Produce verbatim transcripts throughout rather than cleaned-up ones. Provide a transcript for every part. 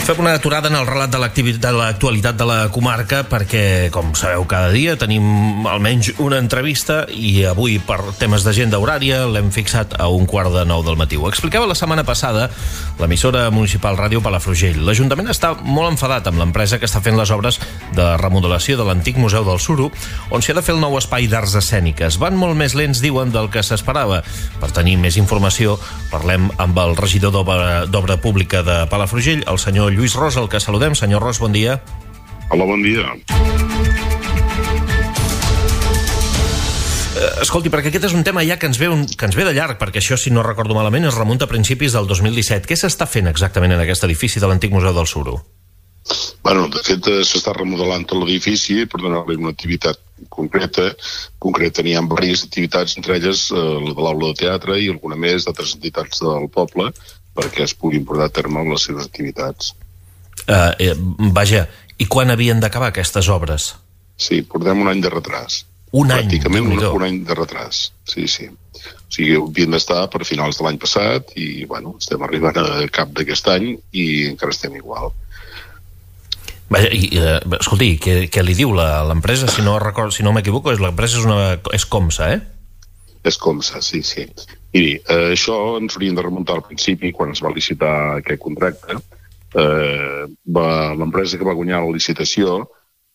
Fem una aturada en el relat de l'actualitat de la comarca perquè, com sabeu, cada dia tenim almenys una entrevista i avui, per temes d'agenda horària, l'hem fixat a un quart de nou del matí. Ho explicava la setmana passada l'emissora municipal Ràdio Palafrugell. L'Ajuntament està molt enfadat amb l'empresa que està fent les obres de remodelació de l'antic Museu del Suro, on s'hi ha de fer el nou espai d'arts escèniques. Van molt més lents, diuen, del que s'esperava. Per tenir més informació, parlem amb el regidor d'Obra Pública de Palafrugell, el senyor Lluís Ros, el que saludem. Senyor Ros, bon dia. Hola, bon dia. Escolti, perquè aquest és un tema ja que ens ve, un, que ens ve de llarg, perquè això, si no recordo malament, es remunta a principis del dos mil disset. Què s'està fent exactament en aquest edifici de l'antic Museu del Suro? Bueno, de fet, s'està remodelant tot l'edifici per donar-li una activitat concreta. Concreta, n'hi ha diverses activitats, entre elles eh, la de l'aula de teatre i alguna més d'altres entitats del poble, perquè es puguin portar a terme les seves activitats. Uh, eh, vaja, i quan havien d'acabar aquestes obres? Sí, portem un any de retras. Un any? Pràcticament un, un any de retras, sí, sí. O sigui, havien d'estar per finals de l'any passat i, bueno, estem arribant a cap d'aquest any i encara estem igual. Vaja, i, eh, escolti, què, què li diu l'empresa? Si no recordo, si no m'equivoco, l'empresa és, una, és Comsa, eh? És Comsa, sí, sí. Miri, eh, això ens hauríem de remuntar al principi, quan es va licitar aquest contracte. Eh, l'empresa que va guanyar la licitació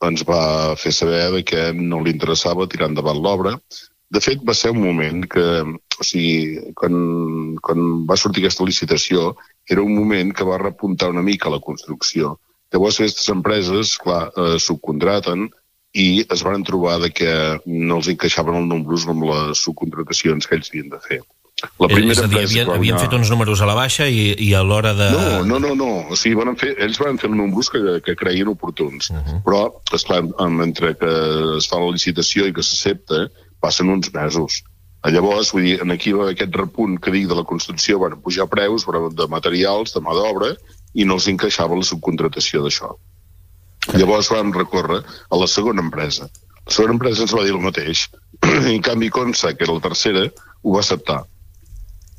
ens va fer saber que no li interessava tirar endavant l'obra. De fet, va ser un moment que, o sigui, quan, quan va sortir aquesta licitació, era un moment que va repuntar una mica la construcció. Llavors, aquestes empreses, clar, eh, subcontraten i es van trobar de que no els encaixaven els números amb les subcontratacions que ells havien de fer. La primera és a dir, havien, havien guanyar... fet uns números a la baixa i, i a l'hora de... No, no, no, no. O sigui, van fer, ells van fer els números que, que creien oportuns. Uh -huh. Però, esclar, mentre que es fa la licitació i que s'accepta, passen uns mesos. Llavors, vull dir, aquí va aquest repunt que dic de la construcció, van pujar preus de materials, de mà d'obra, i no els encaixava la subcontratació d'això. Llavors vam recórrer a la segona empresa. La segona empresa ens va dir el mateix. En canvi, Comsa, que era la tercera, ho va acceptar.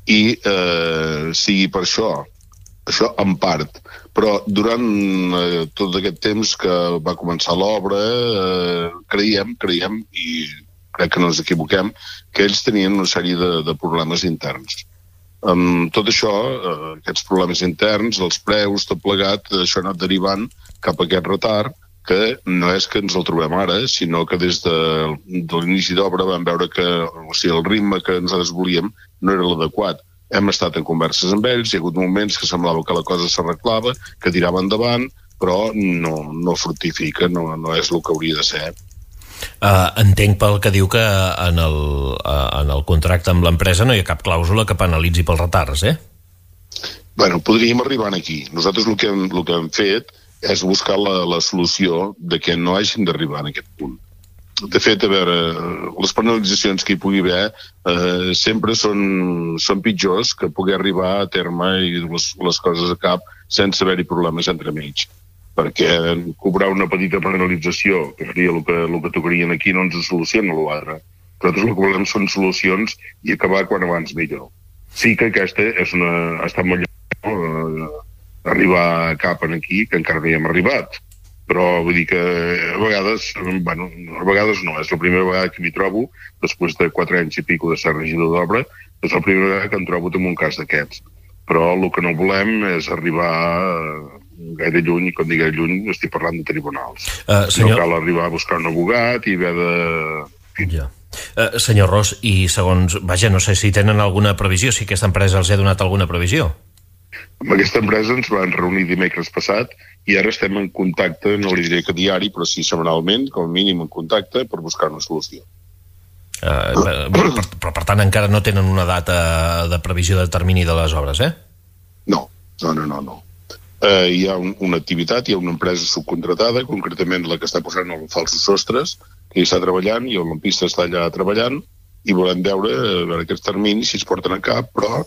I eh, sigui per això, això en part. Però durant eh, tot aquest temps que va començar l'obra, eh, creiem, creiem, i crec que no ens equivoquem, que ells tenien una sèrie de, de problemes interns. Amb tot això, eh, aquests problemes interns, els preus, tot plegat, això ha anat derivant cap a aquest retard, que no és que ens el trobem ara, sinó que des de, de l'inici d'obra vam veure que o sigui, el ritme que nosaltres volíem no era l'adequat. Hem estat en converses amb ells, hi ha hagut moments que semblava que la cosa s'arreglava, que tirava endavant, però no, no fructifica, no, no és el que hauria de ser. Uh, entenc pel que diu que en el, uh, en el contracte amb l'empresa no hi ha cap clàusula que penalitzi pels retards, eh? Bueno, podríem arribar aquí. Nosaltres el que hem, el que hem fet és buscar la, la solució de que no hagin d'arribar en aquest punt. De fet, a veure, les penalitzacions que hi pugui haver eh, sempre són, són pitjors que poder arribar a terme i les, les coses a cap sense haver-hi problemes entremig. Perquè cobrar una petita penalització, que seria el que, el que tocarien aquí, no ens soluciona l'altre. Nosaltres el que volem són solucions i acabar quan abans millor. Sí que aquesta és una, ha estat molt llarg, no? Arribar cap aquí, que encara no hi hem arribat. Però vull dir que a vegades, bueno, a vegades no, és la primera vegada que m'hi trobo, després de quatre anys i pico de ser regidor d'obra, és la primera vegada que em trobo en un cas d'aquests. Però el que no volem és arribar gaire lluny, i quan dic lluny estic parlant de tribunals. Uh, senyor... No cal arribar a buscar un abogat i haver de... Ja. Uh, senyor Ros, i segons... Vaja, no sé si tenen alguna previsió, si aquesta empresa els ha donat alguna previsió. Amb aquesta empresa ens van reunir dimecres passat i ara estem en contacte, no li diré que diari, però sí setmanalment, com a mínim en contacte, per buscar una solució. Uh, però, però, per tant, encara no tenen una data de previsió de termini de les obres, eh? No, no, no, no. no. Uh, hi ha un, una activitat, hi ha una empresa subcontratada, concretament la que està posant els falsos sostres, que hi està treballant, i el lampista està allà treballant, i volem veure, veure aquests terminis, si es porten a cap, però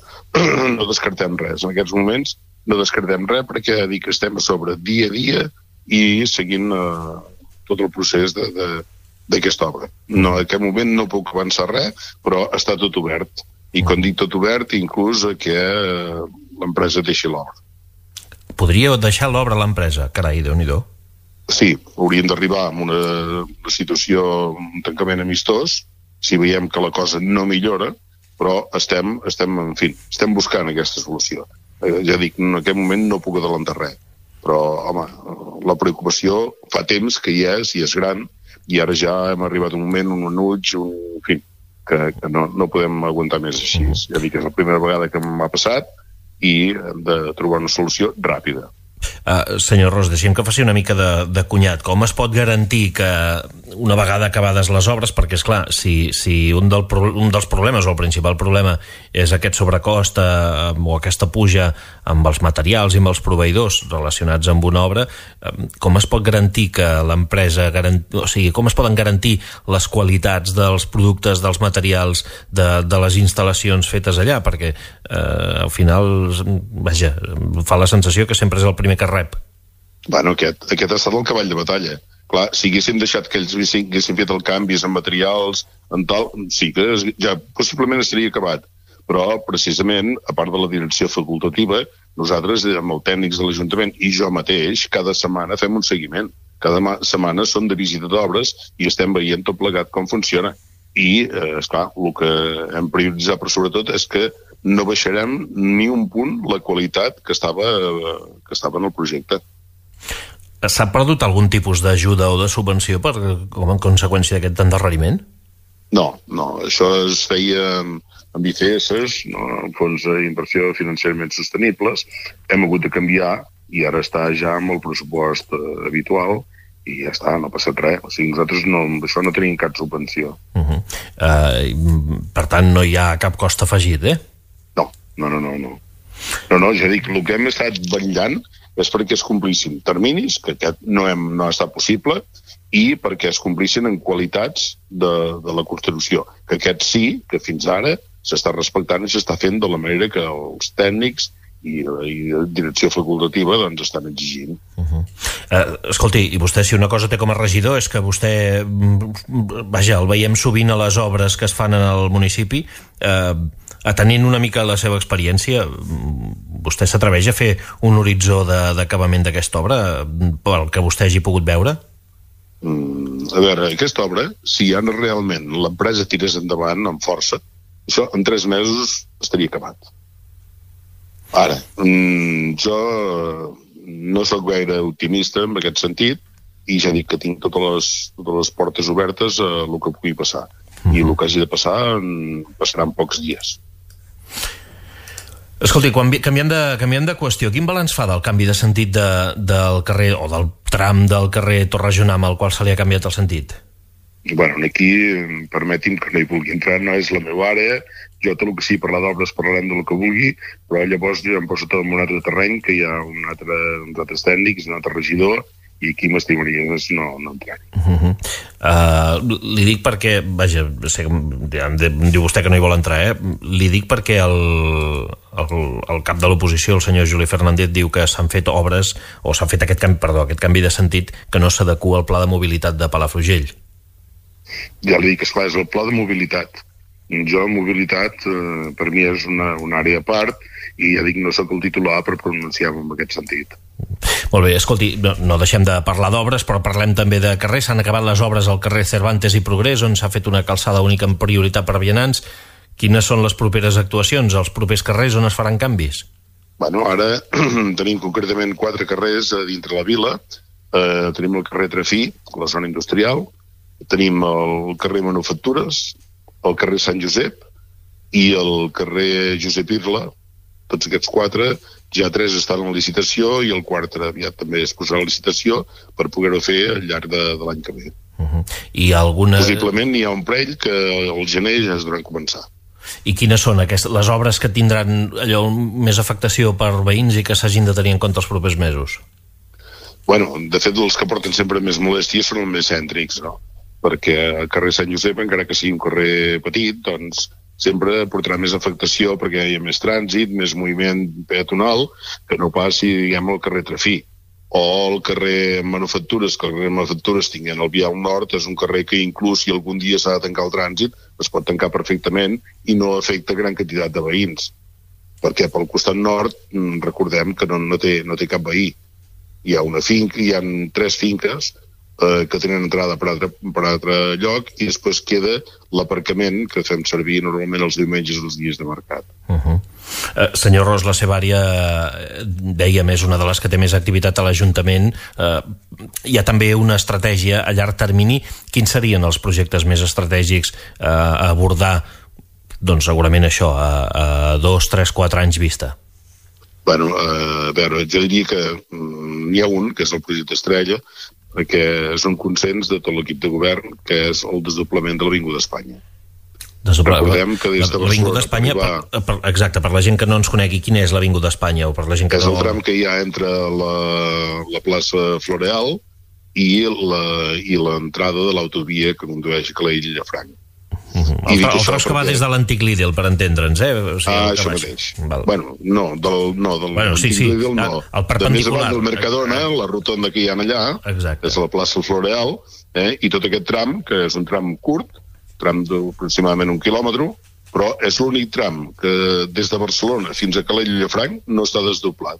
no descartem res. En aquests moments no descartem res perquè dic que estem a sobre dia a dia i seguint uh, tot el procés de, de, d'aquesta obra. No, en aquest moment no puc avançar res, però està tot obert. I quan dic tot obert, inclús que uh, l'empresa deixi l'obra. podria deixar l'obra a l'empresa. Carai, Déu-n'hi-do. Sí, hauríem d'arribar a una, una situació, un tancament amistós, si veiem que la cosa no millora, però estem, estem, en fi, estem buscant aquesta solució. Eh, ja dic, en aquest moment no puc adelantar res, però, home, la preocupació fa temps que hi és, i és gran, i ara ja hem arribat a un moment, un enuig, un, en fi, que, que no, no podem aguantar més així. Ja dic, és la primera vegada que m'ha passat i hem de trobar una solució ràpida. Uh, senyor Ros, deixem que faci una mica de, de cunyat. Com es pot garantir que una vegada acabades les obres, perquè és clar, si, si un, del, un dels problemes o el principal problema és aquest sobrecost uh, o aquesta puja amb els materials i amb els proveïdors relacionats amb una obra, uh, com es pot garantir que l'empresa garant... o sigui, com es poden garantir les qualitats dels productes, dels materials, de, de les instal·lacions fetes allà? Perquè uh, al final, vaja, fa la sensació que sempre és el primer que rep. Bueno, aquest, aquest ha estat el cavall de batalla. Clar, si haguéssim deixat que ells haguessin fet el canvis en materials, en tal, sí que ja possiblement estaria acabat. Però, precisament, a part de la direcció facultativa, nosaltres, amb els tècnics de l'Ajuntament i jo mateix, cada setmana fem un seguiment. Cada setmana són de visita d'obres i estem veient tot plegat com funciona. I, eh, esclar, el que hem prioritzat, però sobretot, és que no baixarem ni un punt la qualitat que estava, que estava en el projecte. S'ha perdut algun tipus d'ajuda o de subvenció per, com a conseqüència d'aquest endarreriment? No, no. Això es feia amb I C S, no? Fons d'inversió financerament sostenibles. Hem hagut de canviar i ara està ja amb el pressupost eh, habitual i ja està, no ha passat res. O sigui, nosaltres no, amb això no tenim cap subvenció. Uh -huh. uh, per tant, no hi ha cap cost afegit, eh? No, no, no, no. No, no, ja dic, el que hem estat vetllant és perquè es complissin terminis, que aquest no, hem, no ha estat possible, i perquè es complissin en qualitats de, de la construcció. Que aquest sí, que fins ara s'està respectant i s'està fent de la manera que els tècnics i la direcció facultativa doncs estan exigint. Uh -huh. uh, escolti, i vostè, si una cosa té com a regidor és que vostè, vaja, el veiem sovint a les obres que es fan en el municipi, eh, atenint una mica la seva experiència, vostè s'atreveix a fer un horitzó d'acabament d'aquesta obra pel que vostè hagi pogut veure? Mm, a veure, aquesta obra, si ara realment l'empresa tirés endavant amb força, això en tres mesos estaria acabat. Ara, mm, jo no sóc gaire optimista en aquest sentit i ja dic que tinc totes les, totes les portes obertes a el que pugui passar. Mm. I el que hagi de passar en, passarà en pocs dies. Escolti, quan, canviant, de, canviant de qüestió, quin balanç fa del canvi de sentit de, del carrer, o del tram del carrer Torrejonam al qual se li ha canviat el sentit? Bueno, aquí, permeti'm que no hi vulgui entrar, no és la meva àrea, jo tot el que sigui parlar d'obres parlarem del que vulgui, però llavors jo em poso tot en un altre terreny, que hi ha un altre, uns altres tècnics, un altre regidor, i aquí m'estimaria no, no entrar. Uh -huh. uh, li dic perquè, vaja, sé que em diu vostè que no hi vol entrar, eh? Li dic perquè el, el, el cap de l'oposició, el senyor Juli Fernández, diu que s'han fet obres, o s'ha fet aquest canvi, perdó, aquest canvi de sentit que no s'adequa al pla de mobilitat de Palafrugell. Ja li dic, esclar, és el pla de mobilitat. Jo, mobilitat, eh, per mi és una, una àrea a part, i ja dic, no sóc el titular per pronunciar-me en aquest sentit. Molt bé, escolti, no, no deixem de parlar d'obres, però parlem també de carrers. S'han acabat les obres al carrer Cervantes i Progrés, on s'ha fet una calçada única en prioritat per vianants. Quines són les properes actuacions, els propers carrers on es faran canvis? Bueno, ara tenim concretament quatre carrers a dintre la vila. Eh, tenim el carrer Trafí, la zona industrial, tenim el carrer Manufactures, el carrer Sant Josep i el carrer Josep Irla. Tots aquests quatre, ja tres estan en licitació i el quart aviat també es posarà a licitació per poder-ho fer al llarg de, de l'any que ve. Uh -huh. I alguna... Possiblement hi ha un parell que al gener ja es devran començar. I quines són aquestes, les obres que tindran allò més afectació per veïns i que s'hagin de tenir en compte els propers mesos? Bueno, de fet, els que porten sempre més molèsties són els més cèntrics, no? Perquè el carrer Sant Josep, encara que sigui un carrer petit, doncs sempre portarà més afectació perquè hi ha més trànsit, més moviment peatonal, que no passi, diguem, al carrer Trafí. O el carrer Manufactures, que el carrer Manufactures tinguent el vial nord, és un carrer que inclús si algun dia s'ha de tancar el trànsit, es pot tancar perfectament i no afecta gran quantitat de veïns. perquè pel costat nord recordem que no, no, té, no té cap veí. Hi ha una finca, hi ha tres finques eh, que tenen entrada per altre, per altre lloc i després queda l'aparcament que fem servir normalment els diumenges i els dies de mercat. Uh-huh. Uh, senyor Ros, la seva àrea, dèiem, és una de les que té més activitat a l'Ajuntament. Uh, hi ha també una estratègia a llarg termini. Quins serien els projectes més estratègics uh, a abordar? Doncs segurament això, a, a dos, tres, quatre anys vista. Bueno, a veure, jo diria que n'hi ha un, que és el projecte Estrella, que és un consens de tot l'equip de govern, que és el desdoblament de l'Avinguda d'Espanya. Recordem que des de l'Avinguda d'Espanya, per, per, exacte, per la gent que no ens conegui, quina és l'Avinguda d'Espanya? O per la gent que és no... el tram que hi ha entre la, la plaça Floreal i l'entrada de l'autovia que condueix a Calella i Llafranc. Uh -huh. El, tra el tros que va des de l'antic Lidl, per entendre'ns, eh? O sigui, ah, això mateix. Val. Bueno, no, del, no, del bueno, sí, sí. Lidl no. El perpendicular. De més avant del Mercadona, la rotonda que hi ha allà, exacte, és a la plaça Floreal, eh? I tot aquest tram, que és un tram curt, tram d'aproximadament un quilòmetre, però és l'únic tram que des de Barcelona fins a Calella i Llafranc no està desdoblat.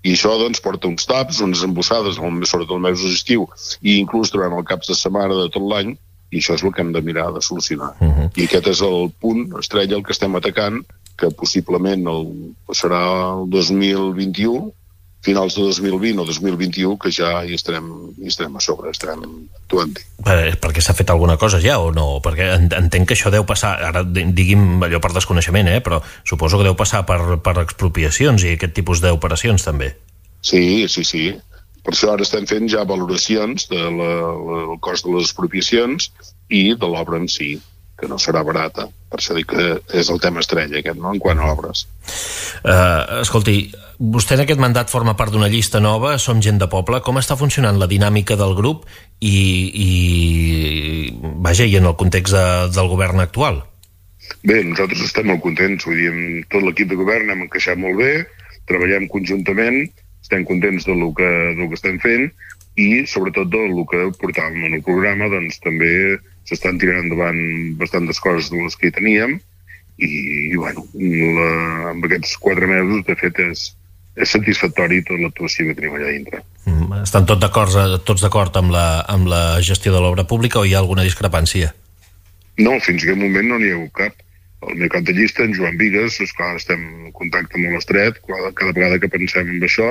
I això doncs porta uns taps, unes embossades, sobretot els mesos d'estiu, i inclús durant el caps de setmana de tot l'any, i això és el que hem de mirar de solucionar. Uh-huh. I aquest és el punt estrella el que estem atacant, que possiblement el, serà el dos mil vint-i-u, finals de dos mil vint o dos mil vint-i-u, que ja hi estarem, hi estarem a sobre, estarem actuant. Per, perquè s'ha fet alguna cosa ja o no? Perquè entenc que això deu passar, ara digui'm allò per desconeixement, eh? Però suposo que deu passar per, per expropiacions i aquest tipus d'operacions també. Sí, sí, sí. Per això ara estem fent ja valoracions del de la, cost de les expropiacions i de l'obra en si, que no serà barata. Per això dic que és el tema estrella aquest, no?, en quant a obres. Uh, escolti, vostè en aquest mandat forma part d'una llista nova, Som Gent de Poble. Com està funcionant la dinàmica del grup i, i vaja, i en el context de, del govern actual? Bé, nosaltres estem molt contents. Vull dir, amb tot l'equip de govern hem encaixat molt bé, treballem conjuntament, estem contents del que, del que estem fent i sobretot del que portàvem en el programa, doncs també s'estan tirant endavant bastantes coses de les que hi teníem i, i bueno, la, amb aquests quatre mesos de fet és, és satisfactori tota l'actuació que tenim allà dintre. Mm, estan tot d'acord, tots d'acord amb, la, amb la gestió de l'obra pública o hi ha alguna discrepància? No, fins a aquest moment no n'hi ha hagut cap. El meu cap de llista, en Joan Vigues, esclar, estem en contacte molt estret cada vegada que pensem en això,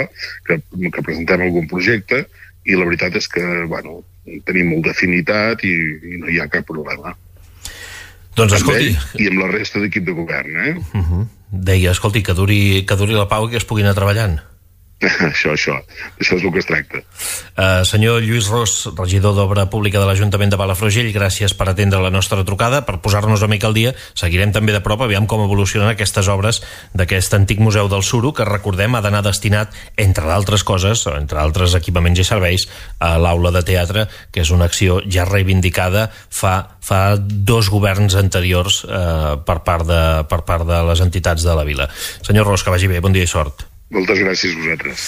que, que presentem algun projecte, i la veritat és que, bueno, tenim molta afinitat i, i no hi ha cap problema. Doncs escolti... I amb la resta d'equip de govern, eh? Uh-huh. Deia, escolti, que duri, que duri la pau i que es pugui anar treballant. Això, això. Això és el que es tracta. Uh, senyor Lluís Ros, regidor d'Obra Pública de l'Ajuntament de Palafrugell, gràcies per atendre la nostra trucada, per posar-nos una mica al dia. Seguirem també de prop, aviam com evolucionen aquestes obres d'aquest antic Museu del Suro, que recordem ha d'anar destinat, entre d'altres coses, entre altres equipaments i serveis, a l'aula de teatre, que és una acció ja reivindicada fa, fa dos governs anteriors eh, per, part de, per part de les entitats de la vila. Senyor Ros, que vagi bé, bon dia i sort. Moltes gràcies a vosaltres.